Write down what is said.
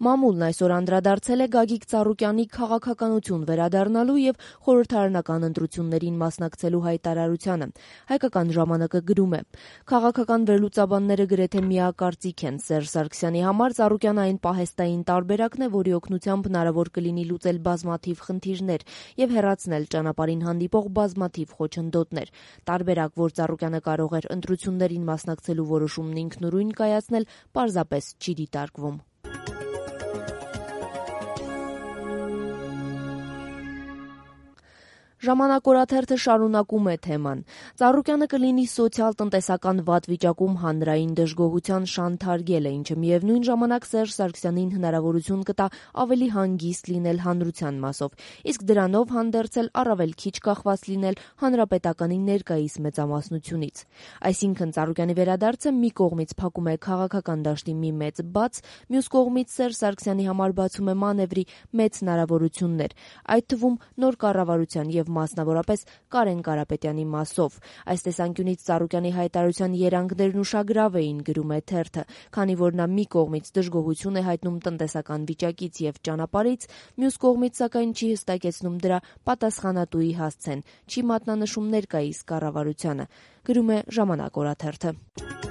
Մամուլն այսօր անդրադարձել է Գագիկ Ծառուկյանի քաղաքականություն վերադառնալու եւ խորհրդարանական ընտրություններին մասնակցելու հայտարարությանը։ Հայկական ժամանակը գրում է. քաղաքական վերլուծաբանները գրեթե միակարծիք են Սերժ Սարգսյանի համար Ծառուկյանը այն պահեստային տարբերակն է, որի օգնությամբ հնարավոր կլինի լուծել բազմաթիվ խնդիրներ եւ հեռացնել ճանապարհին հանդիպող բազմաթիվ խոչընդոտներ։ Տարբերակ, որ Ծառուկյանը կարող էր ընտրություններին մասնակցելու որոշումն ինքնուրույն կայացնել, պարզապես չի դիտարկվում։ Ժամանակ օրաթերթը շարունակում է թեման. Ծառուկյանը կլինի սոցիալ-տնտեսական վատ վիճակում հանրային դժգոհության շանթարգելը, ինչը միևնույն ժամանակ Սերժ Սարգսյանին հնարավորություն կտա ավելի հանգիստ լինել հանրության մասով, իսկ դրանով հանդերձ առավել քիչ կախված լինել հանրապետականի ներկայիս մեծամասնությունից։ Այսինքն Ծառուկյանի վերադարձը մի կողմից փակում է քաղաքական դաշտի մի մեծ բաց, մյուս կողմից Սերժ Սարգսյանի համար բացում է մանևրի մեծ հնարավորություններ, այդ թվում նոր կառավարության եւ մասնավորապես Կարեն Կարապետյանի մասով։ Այս տեսանկյունից Ծառուկյանի հայտարարության երանգներն ուշագրավ էին, գրում է թերթը, քանի որ նա մի կողմից դժգոհություն է հայտնում տնտեսական վիճակից եւ ճանապարհից, մյուս կողմից սակայն չի հստակեցնում դրա պատասխանատուի հասցեն, չի մատնանշում ներկայիս կառավարությանը, գրում է Ժամանակ օրաթերթը։